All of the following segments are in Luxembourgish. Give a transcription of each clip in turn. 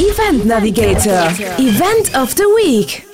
Event Navigator, Event of the Week.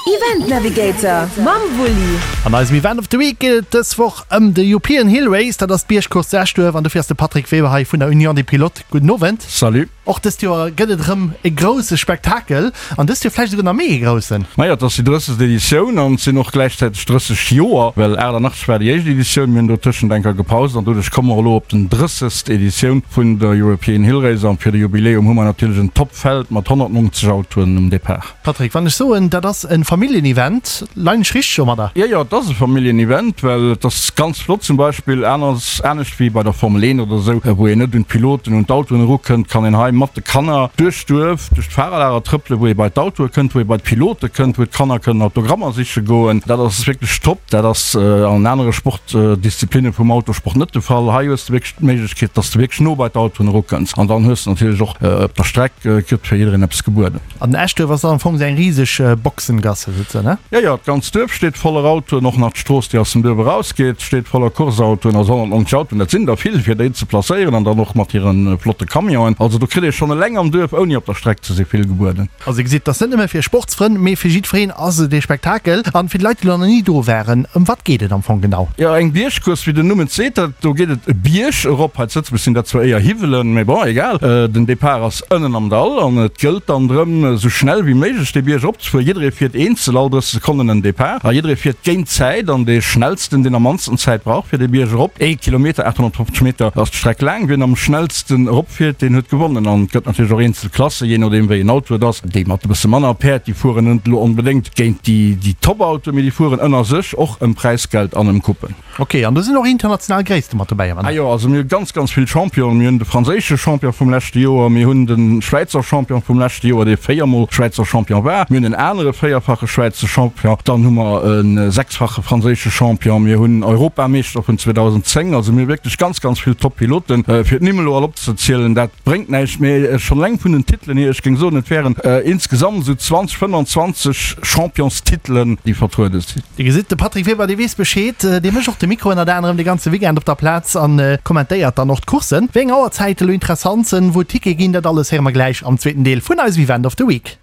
Event Navigator mam Wulli. An eisem Event of the Week geet et dës Woch ëm de European Hill Race. Dat ass d'Biergcourse zu Eschduerf an dofir ass de Patrick Weber hei vun der Union des Pilotes. Gudden Owend. Salut. Och dëst Joer gëtt et erëm e grousse Spektakel an dëst Joer vläicht esouguer nach méi ee groussen. Majo, et ass déi 30. Editioun an et sinn och gläichzäiteg 30 Joer, well 88 war déi éischt Editioun, mir hunn dotëschent eng Kéier gepaust an doduerch komme mer elo op den 30. Editioun vun der European Hill Race an fir de Jubiläum hu mer natierlech en Top-Feld mat 190 Autoen um Depart. Patrick, wann ech soen, dat ass e Familljen-Event, leien ech richteg domadder? Jo, jo, et ass e Familljen-Event, well et ass ganz flott zum Beispill, aner, anescht wéi bei der Formel 1 oder esou, wou een net un d'Piloten, un d'Autoen erukënnt, kann een hei mat de Kanner duerch d'Duerf, duerch d'Fahrerlager trëppelen, wou ee bei d'Autoe kënnt, wou ee bei d'Pilote kënnt, wou d'Kanner kënnen Autogrammer siche goen. Dat ass wierklech top. Dat ass an anere Sportdisziplinne vum Autosport net de Fall. Hei hues de wierklech d'Méiglechkeet, dass de wierklech no bei d'Autoen erukënns. An dann hues de natierlech och op der Streck, gëtt fir jiddereen eppes gebueden. An Eschduerf ass dann am Fong esou eng riseg Boxengasse souzesoen, ne? Jo, jo, d'ganzt Duerf steet voller Autoen, och nach d'Strooss, déi aus dem Duerf erausgeet, steet voller Courseautoen, also 190 Autoen, dat sinn der vill, fir déi ze placéieren an dann och mat hire flotte Camionen. Also do kritt ee schonn eleng am Duerf, ouni op der Streck ze sinn, vill gebueden. Also dir gesitt, et ass net nëmme fir Sportsfrënn, mee fir jiddwereen ass et ee Spektakel. An fir déi Leit, déi elo nach ni do waren, ëm wat geet et am Fong genau? Jo, eng Biergcourse, wéi den Numm et seet, dat do geet et e Bierg erop. Hei zu Lëtzebuerg sinn dat zwar éier Hiwwelen, mee bon, egal. Den Depart ass Ënnen am Dall an et gëllt dann drëm, esou schnell wéi méiglech dee Bierg eropzefueren. Jidderee fiert eenzel, all 30 Sekonnen en Depart a jidderee fiert géint d'Zäit an dee schnellsten, deen am mannsten Zäit brauch fir dee Bierg erop, ee Kilometer, 850 Meter ass d'Streck laang, wien am schnellsten eropfiert, deen huet gewonnen. An et gëtt natierlech och eenzel Klassen, jee nodeem wéi en Auto et ass. Déi mat e bësse manner Päerd, déi fueren net elo onbedéngt géint déi Top-Autoen, mee déi fueren ënner sech och ëm Präisgeld an ëm Coupen. Ok, an do sinn och international Gréisste mat dobäi, oder? Ah jo, also mir hu ganz, ganz vill Championen. Mir hunn de franséische Champion vum leschte Joer, mir hunn de Schwäizer Champion vum leschte Joer, dee véiermol Schwäizer Champion war, mir hunn en anere véierfache Schwäizer Champion, dann hu mer e sechsfache franséische Champion, mir hunn Europameeschter vun 2010. Also mir hu wierklech ganz, ganz vill Top-Piloten. Fir d'Nimm elo all opzezielen, dat bréngt näischt, mee schonn eleng vun den Titelen hier, ech géing soen, et wären insgesamt esou 20, 25 Championstitelen, déi vertruede sinn. Dir gesitt, de Patrick Weber, dee weess Bescheed. Dee mécht och de Mikro ënnert anerem de ganze Weekend op der Plaz an kommentéiert dann och d'Courssen. Wéi eng Auerzäite elo interessant sënn, wou d'Tickete ginn, dat alles héiere mer gläich am zweeten Deel vun eisem Event of the Week.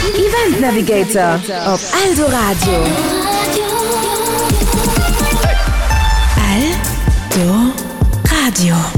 Event Navigator op Eldoradio. Eldoradio.